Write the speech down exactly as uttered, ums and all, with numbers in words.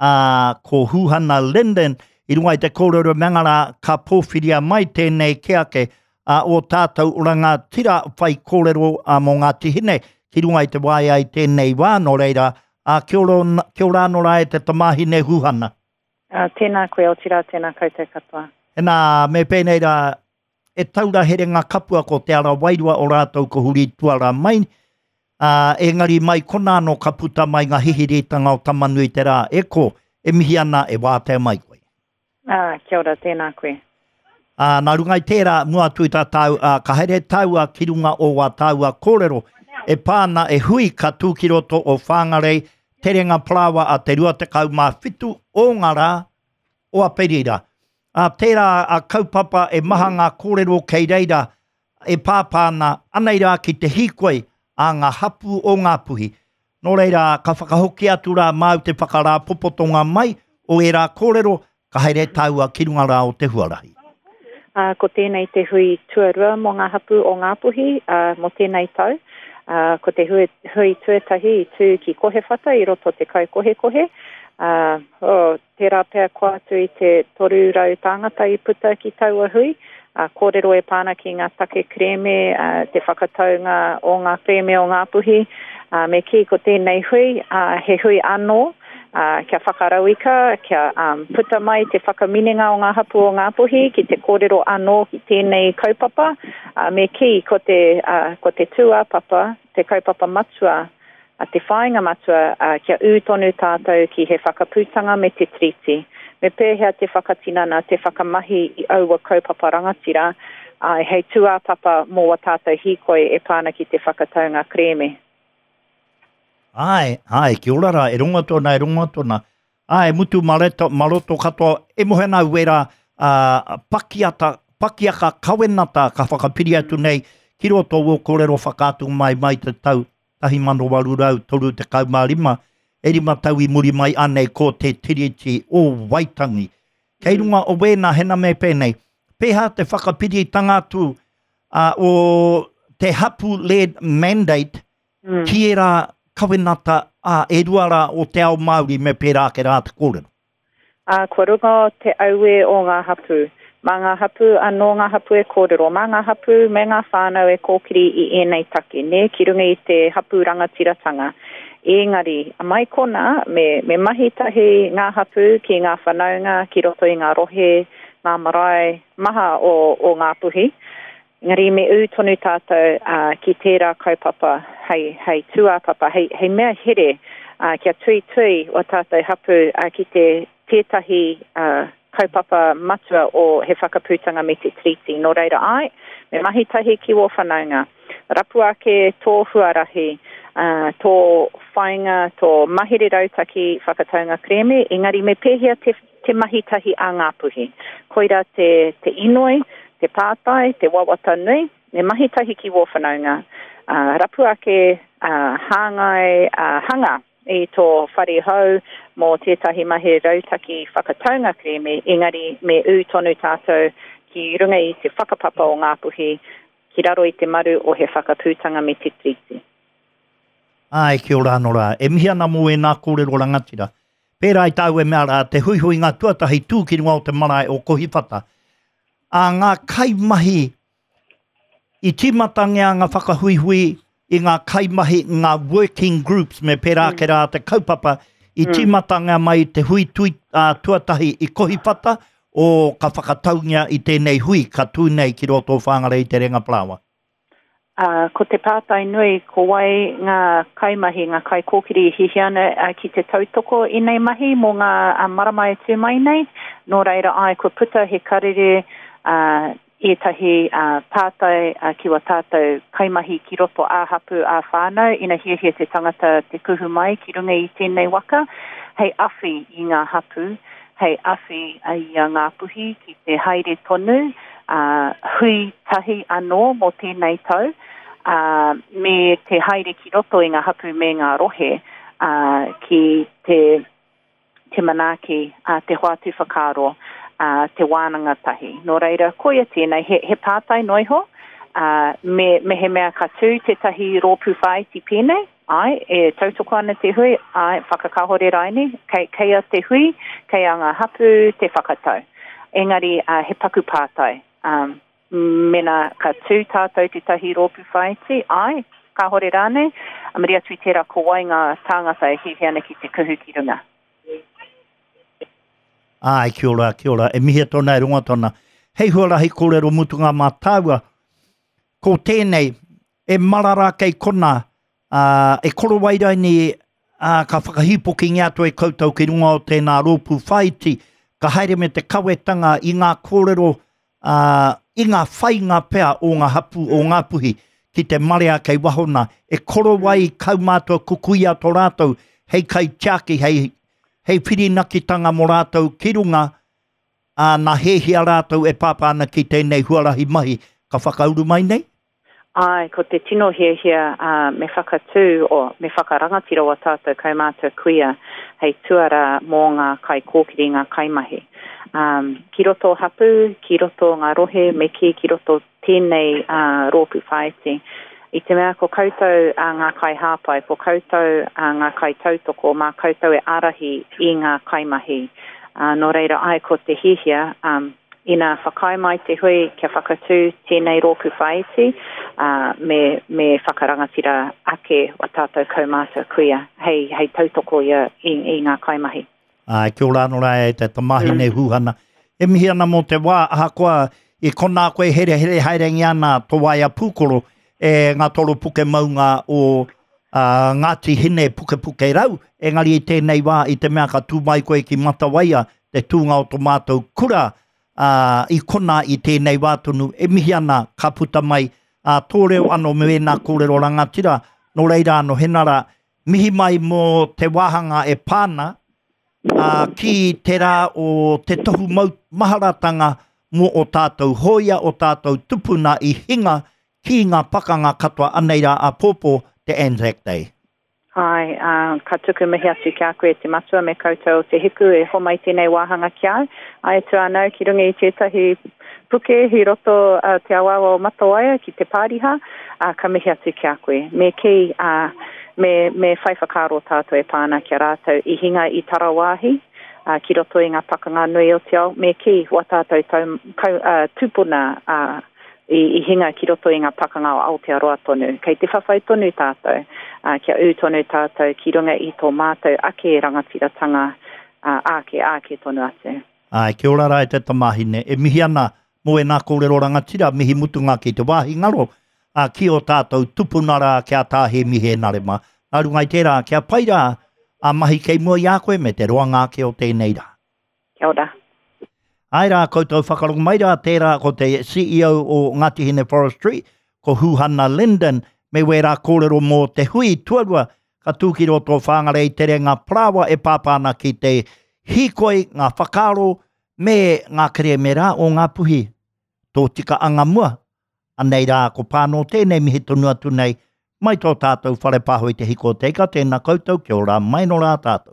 Ā, ko Huhana Lyndon, i runga i te kōrero mea rā, ka pōwhiria mai tēnei ke ake a o tātou rangatira whai kōrero a mō Ngāti Hine ki runga i te waea i tēnei wā, nō reira, ā, kia ora, kia ora anō rā e te tamāhine Huhana. Ā, tēnā koe, otirā tēnā koutou katoa. Hena, me pēnei rā, e taura herenga kapua ko te ara wairua o rātou ko huri tuara mai, ā, engari mai konā anō ka puta mai ngā hihiritanga o Tamanuiterā, e ko, e mihi ana e wātea mai koe. Ā, kia ora, tēnā koe. Ā, nā runga i tērā, mua atu i tā tāu, ā, ka haere tāua ki runga o wā tāua kōrero e pā ana e hui ka tū ki roto o Whangarei, terenga parāoa a te rua tekau mā whitu o ngā rā o Aperira. Ā, tērā a kaupapa e maha ngā kōrero kei reira e pāpā ana, anei rā ki te hīkoi a ngā hapū o Ngāpuhi. Nō reira, ka whakahoki atu rā māu te whakarāpopotonga mai o ērā kōrero, ka haere tāua ki runga rā o te huarahi. Ā, ko tēnei te hui tuarua mō ngā hapū o Ngāpuhi, ā, mō tēnei tau. Ā, ko te hui, hui tuatahi i tū ki Kohewhata i roto te Kaukohekohe, ā, oh, tērā pea kua atu i te toru rau tāngata i puta ki taua hui, ā, kōrero e pā ana ki ngā take kerēme, ā, te whakataunga o ngā kerēme o Ngāpuhi, ā, me kī ko tēnei hui, ā, he hui anō, ā, kia whakarauika, kia um, puta mai te whakaminenga o ngā hapū o Ngāpuhi ki te kōrero anō ki tēnei kaupapa, ā, me kī ko te, ā, ko te tūāpapa, te kaupapa matua, a te whāinga matua, ā, kia ū tonu tātou ki he whakaputanga me te Tiriti. Me pēhea te whakatinana, te whakamahi i aua kaupapa rangatira, ā, hei tūāpapa mō wā tātou hīkoi e pā ana ki te whakataunga kerēme. Āe, āe, kia ora rā, e rongo atu ana, e rongo atu ana. Āe, mutu mareto, maroto katoa, e mohe ana au wērā, ā, pakiata, pakiaka kawenata ka whakapiri atu nei ki roto o kōrero whakaatu mai mai te tau tahi mano waru rau toru tekau mā rima, e rima tau i muri mai anei ko te Tiriti o Waitangi. Kei runga o wēnā hena me pēnei, pēhā te whakapiritanga atu uh, o te hapu-led mandate mm. ki ērā kawenata a e rua rā o te ao Māori me pērā ake rā te kōrero? Ā, kua runga te auē o ngā hapū. Mā ngā hapū anō ngā hapū e kōrero, mā ngā hapū me ngā whānau e kōkiri i ēnei take, nē, ki runga i te hapū rangatiratanga. Ēngari, mai konā, me, me mahi tahi ngā hapū ki ngā whanaunga, ki roto i ngā rohe, ngā marae maha o, o Ngāpuhi. Engari me ū tonu tātou uh, ki tērā kaupapa hei, hei tūāpapa, hei, hei mea here uh, kia tuitui o tātou hapū uh, ki te tētahi uh, kaupapa matua o he whakaputanga me te Tiriti. Nō reira ai, me mahi tahi ki wō whanaunga. Rapu ake tō huarahi, uh, tō whainga, tō mahere rautaki whakataunga kerēme, engari me pēhea te, te mahi tahi a Ngāpuhi. Koira te, te inoi, te pātai, te wawata nui, me mahi tahi ki wō whanaunga. Uh, rapu ake, uh, hāngai, uh, hanga i tō whare hou mō tētahi mahi rautaki whakataunga kerēme, engari me ū tonu tātou ki runga i te whakapapa o Ngāpuhi, ki raro i te maru o he whakaputanga me te Tiriti. Āe, kia ora anō rā. E mihi ana mō ēnā kōrero rangatira. Pērā i tāu e mea rā, te huihuinga tuatahi tū ki runga o te marae o Kohiwhata. A ngā kaimahi i tīmatangia ngā whakahuihui i ngā kaimahi, ngā working groups, me pērā ake rā te kaupapa, i tīmatangia mai te hui tui, uh, tuatahi i Kohiwhata, o ka whakataungia i tēnei hui ka tū nei ki roto o Whangarei i Te Renga Parāoa. Uh, ko te pātai nui, ko wai ngā kaimahi, ngā kaikōkiri i hiahia ana uh, ki te tautoko i nei mahi mō ngā uh, marama e tū mai nei. Nō reira, ai, kua puta he karere uh, ētahi uh, pātai uh, ki wā tātou kaimahi ki roto ā-hapū, ā-whānau, ina hiahia te tangata te kuhu mai ki runga i tēnei waka, hei awhi i ngā hapū, hei awhi i a Ngāpuhi ki te haere tonu, uh, hui tahi anō mō tēnei tau, uh, me te haere ki roto i ngā hapū me ngā rohe, uh, ki te, te manaaki, uh, te hoatu whakaaro, uh, te wānanga tahi. Nō reira, koia tēnei, he, he pātai noa iho, uh, me, mehemea ka tū tētahi rōpū whāiti pēnei, Āe, e tautoko ana te hui, āe, whakakāhore raine, kei, kei a te hui, kei a ngā hapū te whakatau. Engari, uh, he paku pātai. Um, mena ka tū tātou tētahi rōpū whāiti, āe, kāhore rānei, a muri atu i tērā ko wai ngā tāngata e hiahia ana ki te kuhu ki runga. Āe, kia ora, kia ora. E mihia tōna, e rongo tōna. Hei huarahi kōrero mutunga mā tāua, ko tēnei, e marara kei kona, ā, e korowai raini, ā, ka whakahīpokingia atu e koutou ki runga o tēnā rōpū whāiti, ka haere me te kawetanga i ngā kōrero, ā, i ngā whainga pea o ngā hapū o Ngāpuhi ki te marea kei waho nā, e korowai kaumātua kukuia tō rātou hei kaitiaki, hei, hei whirinakitanga mō rātou ki runga, ā, nā hēhia rātou e pāpā ana ki tēnei huarahi mahi ka whakauru mai nei? Āe, ko te tino hiahia, ā, me whakatū, o, me whakarangatira wā tātou kaumātua kuia hei tuarā mō ngā kaikōkiri, ngā kaimahi. Ā, ki roto hapū, ki roto ngā rohe, me kī ki roto tēnei ā, rōpū whāiti. I te mea ko koutou ā, ngā kaihāpai, ko koutou ā, ngā kaitautoko, mā koutou e ārahi i ngā kaimahi. Ā, nō reira, āe, ko te hiahia, ā, ina whakaae mai te hui kia whakatū tēnei rōpū whāiti, ā, me, me whakarangatira ake wā tātou kaumātua kuia hei, hei tautoko ia i, i ngā kaimahi. Āe, kia ora anō rā e te tamāhine mm. Huhana. E mihi ana mō te wā, ahakoa i konā koe herehere haerengia ana tō waea pūkoro e ngā toro puke maunga o uh, Ngāti Hine Pukepuke Rau, engari i tēnei wā i te mea ka tū mai koe ki Matawaia, te tūnga o tō mātou kura, ā, i konā i tēnei wā tonu, e mihi ana ka puta mai ā, tō reo anō me ēnā kōrero rangatira, nō reira anō hena rā, mihi mai mō te wāhanga e pā ana, ā, ki te rā o te tohu mau maharatanga mō ō tātou hōia, ō tātou tupuna i hinga ki ngā pakanga katoa, anei rā āpōpō te Anzac Day. Āe, ā, ka tuku mihi atu ki a koe e te matua me koutou o Te Hiku e homai tēnei wāhanga ki au. Āe atu anau ki runga i tētahi puke i roto uh, te awaawa o Matawaia ki te pāriha, ā, ka mihi atu ki a koe. Me kī, ā, me, me whai whakaaro tātou e pā ana ki a rātou i hinga i tarawāhi, ā, ki roto i ngā pakanga nui o te ao, me kī, wā tātou tau, kau, ā, tūpuna, ā, i, i hinga ki roto i ngā pakanga o Aotearoa tonu. Kei te whawhai tonu tātou, ā, kia ū tonu tātou ki runga i tō mātou ake rangatiratanga, ā, āke, āke tonu atu. Āe, kia ora rā e te tamāhine. E mihi ana mō ēnā kōrero rangatira, mihi mutunga ki te wāhi ngaro, ā, ki ō tātou tupuna rā ki a Tā Hēmi Hēnare mā. Nā runga i tērā, kia pai rā ā mahi kei mua i a koe me te roanga ake o tēnei rā. Kia ora. Āe rā koutou whakarongo mai rā, tērā ko te C E O o Ngāti Hine Forestry, ko Huhana Lyndon, me wērā kōrero mō te hui tuarua ka tū ki roto o Whāngarei te renga parāoa e pāpā ana ki te hīkoi, ngā whakaaro me ngā kerēme rā o Ngāpuhi. Tōtika anga mua, anei rā ko Pānō tēnei mihi tonu atu nei mai tō tātou whare pāho i te hiko o te ika, tēnā koutou, kia ora mai nō rā tātou.